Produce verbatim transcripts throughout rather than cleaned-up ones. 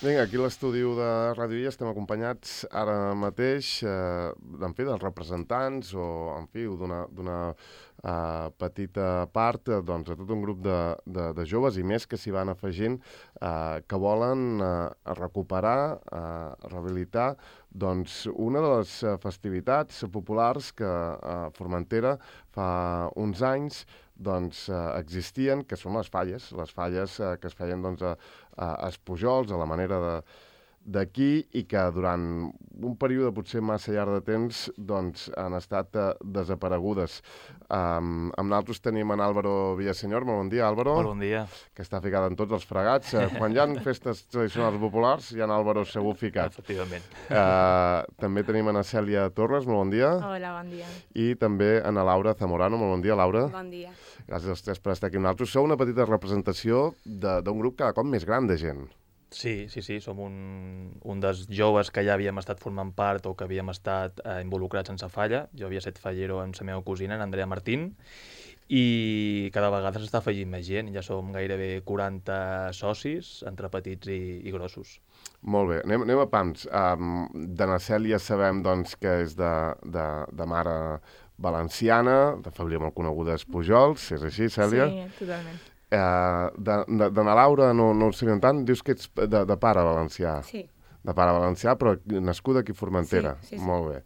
Vinga, aquí a l'estudi de Ràdio I estem acompanyats ara mateix, eh, en fi, dels representants o, en fi, d'una eh, petita part, eh, doncs, de tot un grup de, de, de joves i més que s'hi van afegint, eh, que volen eh, recuperar, eh, rehabilitar, doncs, una de les festivitats populars que a Formentera fa uns anys doncs, eh, existien, que són les falles, les falles eh, que es feien doncs, a, a, a Espujols, a la manera de d'aquí, i que durant un període potser massa llarg de temps doncs, han estat uh, desaparegudes. Um, amb nosaltres tenim en Álvaro Villaseñor. Molt bon dia, Álvaro. Molt bon dia. Que està ficat en tots els fregats. Uh, quan hi ha festes tradicionals populars, hi ha en Álvaro segur ficat. Efectivament. Uh, també tenim en Cèlia Torres. Molt bon dia. Hola, bon dia. I també en Laura Zamorano. Molt bon dia, Laura. Bon dia. Gràcies als tres per estar aquí amb nosaltres. Sou una petita representació d'un grup cada cop més gran de gent. Sí, sí, sí, som un, un dels joves que ja havíem estat formant part o que havíem estat eh, involucrats en sa falla. Jo havia set fallero amb la meva cosina, en Andrea Martín, i cada vegada s'està afegint més gent. Ja som gairebé quaranta socis, entre petits i, i grossos. Molt bé, anem, anem a pams. Um, de na Cèlia sabem doncs, que és de, de, de mare valenciana, de família molt coneguda Espujols, és així, Cèlia? Sí, totalment. Uh, de, de, de na Laura no, no ho sabíem tant, dius que ets de, de pare valencià. Sí. De pare valencià, però nascuda aquí a Formentera. Sí, sí, sí. Molt bé.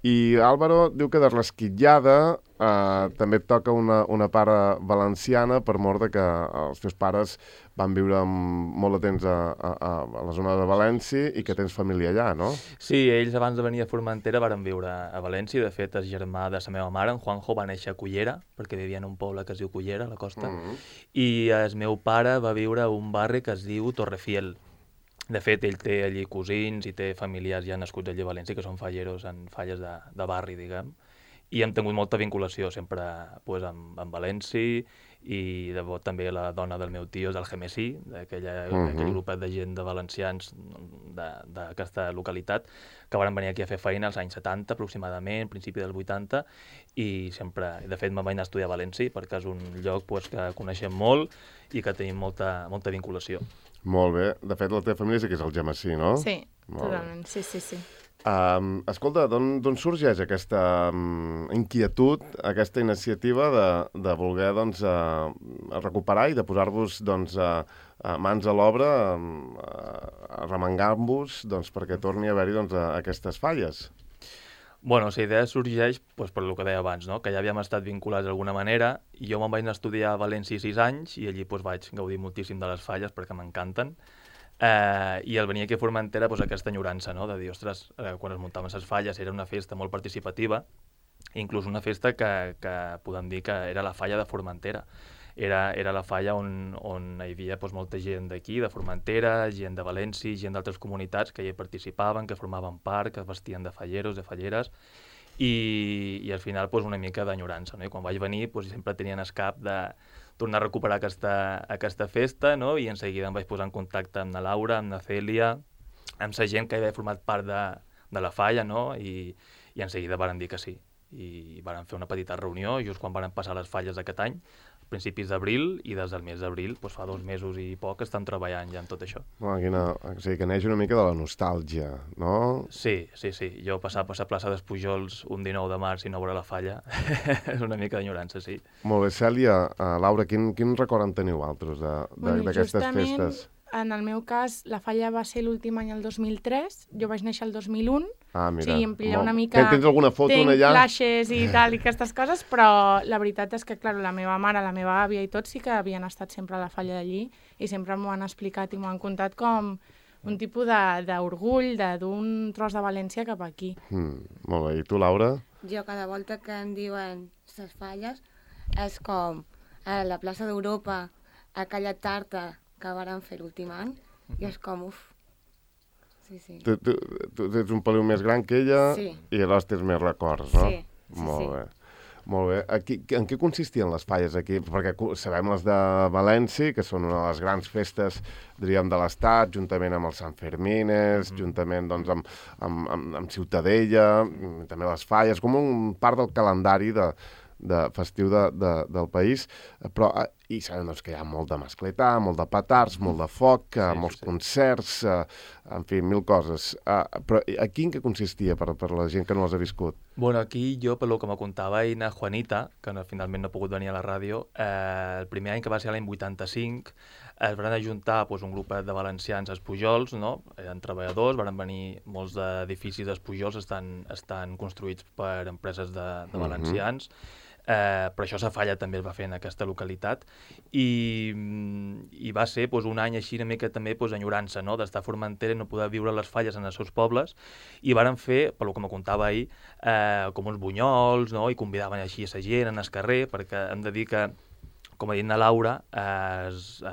I Álvaro diu que de Resquitllada eh, també et toca una, una pare valenciana, per mort de que els teus pares van viure molt de temps a, a, a la zona de València i que tens família allà, no? Sí, ells abans de venir a Formentera varen viure a València. De fet, el germà de la meva mare, en Juanjo, va néixer a Cullera, perquè vivia en un poble que es diu Cullera, a la costa, mm-hmm. i el meu pare va viure a un barri que es diu Torrefiel. De fet, ell té allí cosins i té familiars ja nascuts allí a València, que són falleros en falles de, de barri, diguem. I hem tingut molta vinculació sempre pues, amb, amb València, i de bo, també la dona del meu tio és del Gemesí, d'aquell uh-huh. grupet de gent de valencians d'aquesta localitat, que van venir aquí a fer feina als anys setanta, aproximadament, principi dels vuitanta, i sempre, de fet, me'n vaig anar a estudiar a València, perquè és un lloc pues, que coneixem molt i que tenim molta, molta vinculació. Molt bé. De fet, la teva família sí que és el Gemesí, no? Sí, molt totalment. Bé. Sí, sí, sí. Um, escolta, d'on sorgeix aquesta um, inquietud, aquesta iniciativa de, de voler doncs, uh, recuperar i de posar-vos doncs, uh, uh, mans a l'obra, um, uh, arremangant-vos doncs, perquè torni a haver-hi doncs, uh, aquestes falles? Bueno, la idea sorgeix pues, per el que deia abans, no? Que ja havíem estat vinculats d'alguna manera, i jo me'n vaig anar a estudiar a València sis anys, i allí pues, vaig gaudir moltíssim de les falles perquè m'encanten. Eh, I al venir aquí a Formentera, pues, aquesta enyorança, no? De dir, ostres, eh, quan es muntaven les falles era una festa molt participativa, inclús una festa que, que podem dir que era la falla de Formentera. Era, era la falla on, on hi havia pues, molta gent d'aquí, de Formentera, gent de València, gent d'altres comunitats que hi participaven, que formaven part, que es vestien de falleros, de falleres, i, i al final pues, una mica d'enyorança. No? I quan vaig venir pues, sempre tenien el cap de tornar a recuperar aquesta, aquesta festa, no? I en seguida em vaig posar en contacte amb la Laura, amb la Cèlia, amb la gent que havia format part de, de la falla, no? I, i en seguida varen dir que sí. I varen fer una petita reunió just quan varen passar les falles d'aquest any, principis d'abril, i des del mes d'abril, doncs fa dos mesos i poc, estan treballant ja en tot això. Bueno, quina, o sigui, que neix una mica de la nostàlgia, no? Sí, sí, sí. Jo passar per la plaça d'Espujols un dinou de març i no veure la falla és una mica d'enyorança, sí. Molt bé, Cèlia, uh, Laura, quin, quin record en teniu altres d'aquestes bueno, festes? En el meu cas, la falla va ser l'últim any el dos mil tres, jo vaig néixer el dos mil un, ah, mira, sí, em pilla molt... una mica... Tens alguna foto Tenc allà? flashes i tal, i aquestes coses, però la veritat és que, clar, la meva mare, la meva àvia i tot sí que havien estat sempre a la falla d'allí i sempre m'ho han explicat i m'ho han contat com un tipus d'orgull d'un tros de València cap aquí. Mm, molt bé, i tu, Laura? Jo cada volta que em diuen les falles és com a la plaça d'Europa, aquella tarta que varen fer l'últim any, i és com, uf. Sí, sí. Tu, tu, tu ets un peliu més gran que ella, sí. I llavors tens més records, no? Sí, sí, Molt sí. bé. Molt bé. Aquí, en què consistien les falles aquí? Perquè sabem les de València, que són una de les grans festes, diríem, de l'Estat, juntament amb els Sant Fermines, mm. juntament doncs, amb, amb, amb, amb Ciutadella, també les falles, com un part del calendari de, de festiu de, de, del país. Però i sabem doncs, que hi ha molt de mascletà, molt de petards, molt de foc, sí, molts sí, sí. concerts, uh, en fi, mil coses. Uh, però aquí en què consistia per, per la gent que no els ha viscut? Bueno, aquí jo, per lo que me contava Ina Juanita, que no, finalment no ha pogut venir a la ràdio, eh, el primer any, que va ser l'any vuitanta-cinc, es van ajuntar pues, un grup de valencians a Espujols, no? Eren treballadors, van venir molts d'edificis d'Espujols, estan, estan construïts per empreses de, de valencians, uh-huh. Eh, però això a Falla també es va fer en aquesta localitat i, i va ser pues, un any així una mica també pues, enyorança, no? D'estar a Formentera i no poder viure les falles en els seus pobles, i varen fer, per lo que me contava ahir, eh, com uns bunyols, no? I convidaven així a la gent en el carrer, perquè hem de dir que, com ha dit na Laura, eh, es, eh,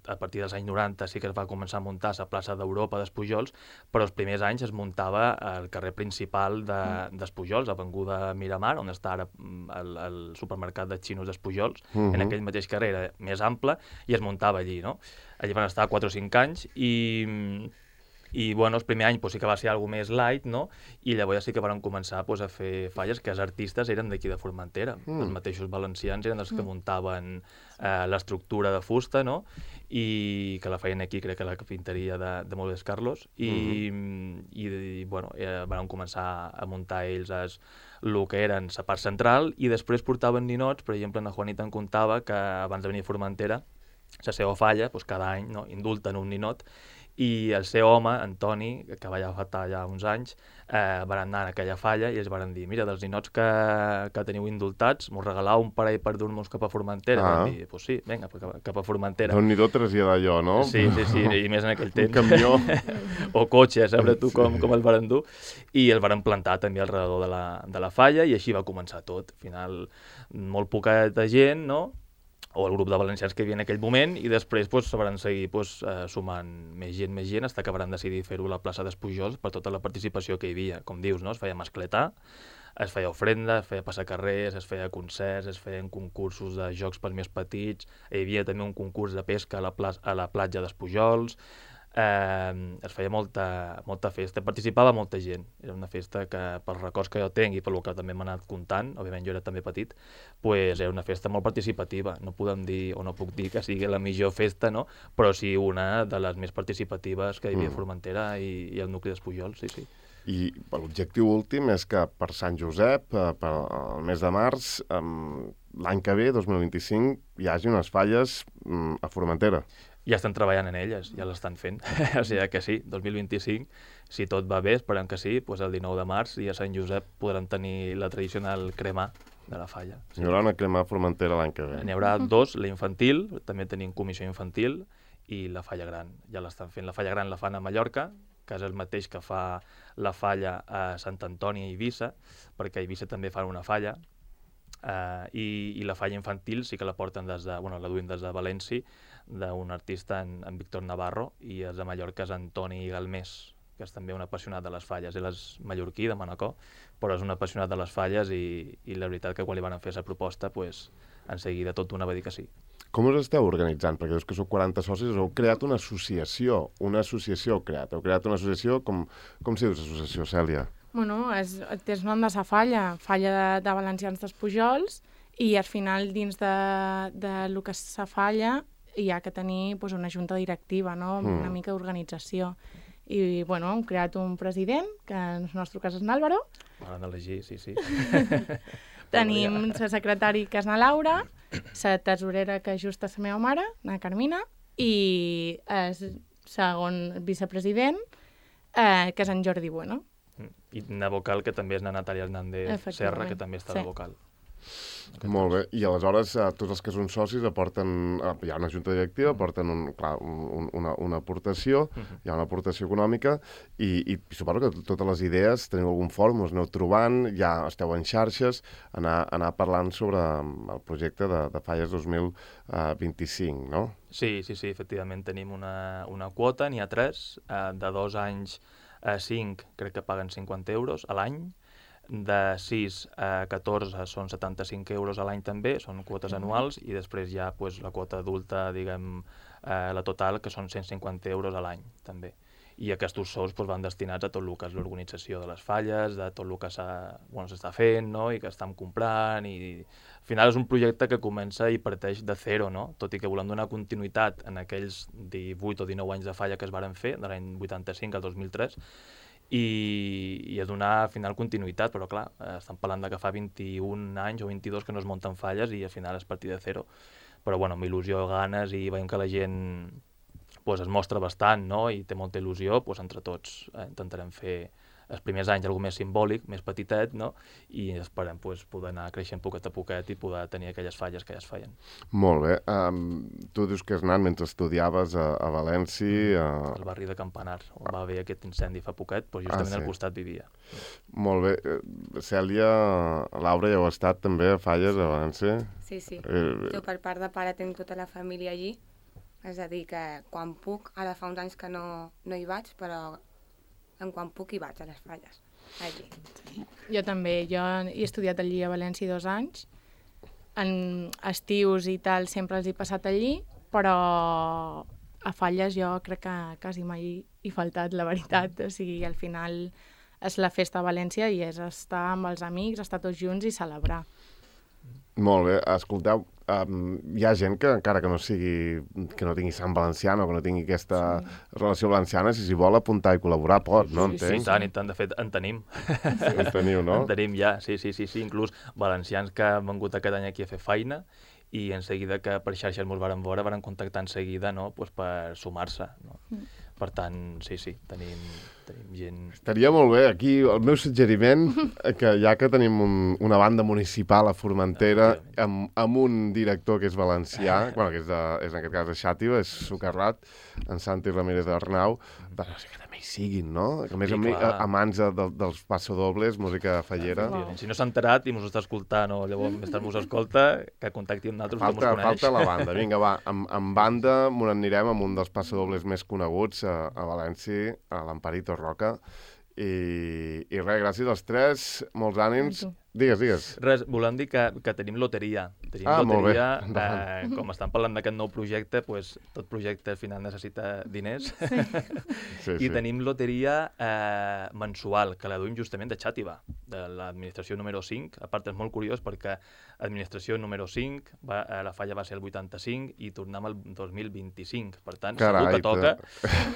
a partir dels anys noranta sí que es va començar a muntar a la plaça d'Europa d'Espujols, però els primers anys es muntava al carrer principal d'Espujols, de, avinguda Miramar, on està ara el, el supermercat de xinos d'Espujols, uh-huh. en aquell mateix carrer era més ample, i es muntava allí, no? Allí van estar quatre o cinc anys, i... I bueno, el primer any pues, sí que va ser alguna més light, no? I llavors sí que van començar pues, a fer falles, que els artistes eren d'aquí de Formentera. Mm. Els mateixos valencians eren els que muntaven eh, l'estructura de fusta, no? I que la feien aquí, crec que la pintaria de, de Moldes Carlos. I, mm-hmm. i, i bueno, eh, van començar a muntar ells es, el que eren la part central, i després portaven ninots. Per exemple, la Juanita em contava que abans de venir a Formentera, la seva falla, pues, cada any no, indulten un ninot, i el seu home, Antoni, que va ja fa ja uns anys, eh, van anar a aquella falla i ells van dir, mira, dels ninots que, que teniu indultats, m'ho regalau un parell per dur-nos cap a Formentera. Ah. Van dir, pues sí, vinga, cap, cap a Formentera. Un nidó traslladar allò, no? Sí, sí, sí, i més en aquell temps. Un camió. O cotxe, a saber tu com, com el van dur. I el van plantar també al redador de la, de la falla, i així va començar tot. Al final, molt poca de gent, no?, o el grup de valencians que hi havia en aquell moment, i després pues, se van seguir pues, eh, sumant més gent, més gent, fins que van decidir fer-ho a la plaça d'Espujols per tota la participació que hi havia. Com dius, no? Es feia mascletà, es feia ofrenda, es feia passacarrers, es feia concerts, es feien concursos de jocs pels més petits, hi havia també un concurs de pesca a la, pla a la platja d'Espujols, eh, es feia molta, molta festa, participava molta gent. Era una festa que, pels records que jo tinc i pel que també m'ha anat comptant, òbviament jo era també petit, pues era una festa molt participativa. No podem dir, o no puc dir que sigui la millor festa, no? Però sí una de les més participatives que hi havia a Formentera i, i el nucli d'Espujols, sí, sí. I l'objectiu últim és que per Sant Josep, per el mes de març, l'any que ve, dos mil vint-i-cinc, hi hagi unes falles a Formentera. Ja estan treballant en elles, ja l'estan fent. O sigui que sí, dos mil vint-i-cinc, si tot va bé, esperem que sí, doncs el dinou de març i a Sant Josep podran tenir la tradicional cremà de la falla. Sí. Hi haurà una cremà a Formentera l'any que ve. N'hi haurà dos, la infantil, també tenim comissió infantil, i la falla gran, ja l'estan fent. La falla gran la fan a Mallorca, que és el mateix que fa la falla a Sant Antoni i Eivissa, perquè a Eivissa també fan una falla, uh, i, i la falla infantil sí que la porten des de, bueno, la duim des de València, d'un artista, en, en Víctor Navarro, i és de Mallorca, és Antoni Galmés, que és també un apassionat de les falles. Ell és mallorquí, de Manacor, però és un apassionat de les falles, i, i la veritat que quan li van fer la proposta, pues, en seguida tot una va dir que sí. Com us esteu organitzant? Perquè dius que sou quaranta socis, heu creat una associació, una associació heu creat, heu creat una associació, com, com s'hi diu l'associació, Cèlia? Bueno, és, té el nom de sa falla, falla de, de Valencians d'Espujols, i al final dins de, de lo que és sa falla hi ha que tenir pues, una junta directiva, no? Mm. Una mica d'organització. I, bueno, hem creat un president, que en el nostre cas és n'Àlvaro. M'han d'elegir, sí, sí. Tenim la secretari, que és na Laura, la tesorera, que és just la meva mare, na Carmina, i el segon vicepresident, eh, que és en Jordi Bueno. I na vocal, que també és na Natàlia Hernández Serra, que també està sí. a la vocal. Molt bé, i aleshores eh, tots els que són socis aporten, eh, hi ha una junta directiva, aporten un, clar, un, una, una aportació, uh-huh. hi ha una aportació econòmica, i, i suposo que totes les idees, teniu algun fòrum, us aneu trobant, ja esteu en xarxes, anar, anar parlant sobre el projecte de, de Falles dos mil vint-i-cinc, no? Sí, sí, sí, efectivament tenim una, una quota, n'hi ha tres, eh, de dos anys a cinc crec que paguen cinquanta euros a l'any, de sis a catorze són setanta-cinc euros a l'any també, són quotes mm-hmm. anuals, i després hi ha pues, la quota adulta, diguem, eh, la total, que són cent cinquanta euros a l'any també. i aquests sous doncs, van destinats a tot el que és l'organització de les falles, de tot el que s'està bueno, fent, no? I que estem comprant, i al final és un projecte que comença i parteix de zero, no? Tot i que volem donar continuïtat en aquells divuit o dinou anys de falla que es varen fer, de l'any vuitanta-cinc al dos mil tres, i, i a donar al final continuïtat, però clar, estem parlant de que fa vint-i-un anys o vint-i-dos que no es munten falles i al final és partir de zero. Però bueno, amb il·lusió, ganes, i veiem que la gent pues, es mostra bastant, no? I té molta il·lusió, pues, entre tots eh, intentarem fer els primers anys alguna més simbòlic, més petitet, no? I esperem pues, poder anar creixent poquet a poquet i poder tenir aquelles falles que ja es feien. Molt bé. Um, tu dius que has anat mentre estudiaves a, a València... A... Al barri de Campanar, on va haver aquest incendi fa poquet, doncs justament ah, sí. al costat vivia. Molt bé. Cèlia, Laura, ja heu estat també a falles a València? Sí, sí. Eh... Jo per part de pare tinc tota la família allí, és a dir que quan puc, ara fa uns anys que no, no hi vaig, però en quan puc hi vaig a les falles, allí. Sí. Jo també, jo he estudiat allí a València dos anys, en estius i tal sempre els he passat allí, però a falles jo crec que quasi mai he faltat, la veritat, o sigui, al final és la festa a València i és estar amb els amics, estar tots junts i celebrar. Molt bé, escolteu, um, hi ha gent que encara que no sigui, que no tingui sang valenciana o que no tingui aquesta sí. relació valenciana, si s'hi vol apuntar i col·laborar pot, no? Sí, sí, tant, i tant, de fet en tenim. Sí. En teniu, no? En tenim ja, sí, sí, sí, sí, inclús valencians que han vengut aquest any aquí a fer feina i en seguida que per xarxes mos varen veure, varen contactar en seguida, no?, pues per sumar-se, no? Mm. Per tant, sí, sí, tenim, tenim gent... Estaria molt bé, aquí el meu suggeriment, que ja que tenim un, una banda municipal a Formentera, amb, amb un director que és valencià, bueno, que és, de, és en aquest cas de Xàtiva, és Socarrat, en Santi Ramírez d'Arnau, doncs que també hi siguin, no? Que a més sí, a, a, a mans de, de, dels passadobles, música fallera. Wow. Si no s'ha enterat i mos està escoltant o llavors més tard mos escolta, que contacti amb nosaltres, falta, que mos coneix. Falta la banda, vinga, va, amb, amb banda m'ho anirem amb un dels passadobles més coneguts a, a València, a l'Amparito Roca, i, i res, gràcies als tres, molts ànims. Digues, digues. Res, volem dir que, que tenim loteria. Tenim ah, loteria, eh, com estan parlant d'aquest nou projecte, pues, tot projecte al final necessita diners. Sí. Sí, I sí. tenim loteria eh, mensual, que la duim justament de Xàtiva, de l'administració número cinc. A part, és molt curiós perquè administració número cinc, va, eh, la falla va ser el vuitanta-cinc i tornem al dos mil vint-i-cinc. Per tant, Carai, segur que toca.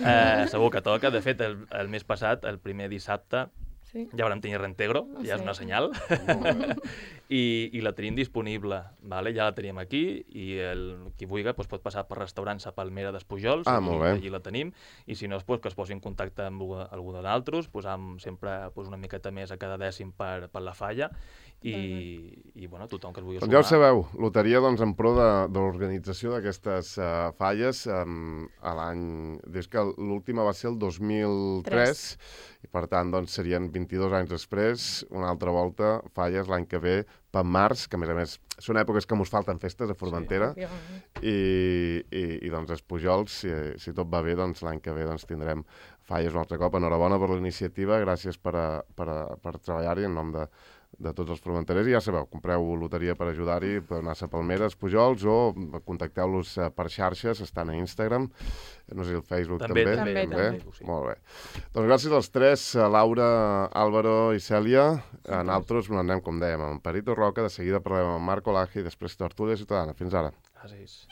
Eh, segur que toca. De fet, el, el mes passat, el primer dissabte, sí. ja vam tenir reintegro, oh, ja sí. és una senyal, I, i la tenim disponible, vale? Ja la tenim aquí, i el, qui vulgui doncs pot passar per restaurants a Palmera d'Espujols, ah, i allí la tenim, i si no, doncs, que es posi en contacte amb algú de d'altres, posam sempre doncs, una miqueta més a cada dècim per, per la falla, i, uh-huh. i bueno, tothom que es vulgui doncs sumar. Ja ho sabeu, loteria doncs, en pro de, de l'organització d'aquestes uh, falles, um, a l'any... Des que l'última va ser el dos mil tres, i per tant doncs, serien vint-i-dos anys després, una altra volta, falles l'any que ve, per març, que a més a més són èpoques que mos falten festes a Formentera, sí, i, i, i doncs Espujols, si, si tot va bé, doncs l'any que ve doncs, tindrem falles un altre cop. Enhorabona per la iniciativa, gràcies per, a, per, a, per treballar-hi en nom de, de tots els formenterers, i ja sabeu, compreu loteria per ajudar-hi, podeu anar a Palmera, Espujols, o contacteu-los per xarxes, estan a Instagram, no sé, el Facebook també. També, també. també, també sí. Molt bé. Doncs gràcies als tres, Laura, Álvaro i Cèlia. Sí, nosaltres sí. anem, com dèiem, amb Perito Roca, de seguida parlem amb Marc Olaje i després Tertúlia Ciutadana. Fins ara. Gràcies.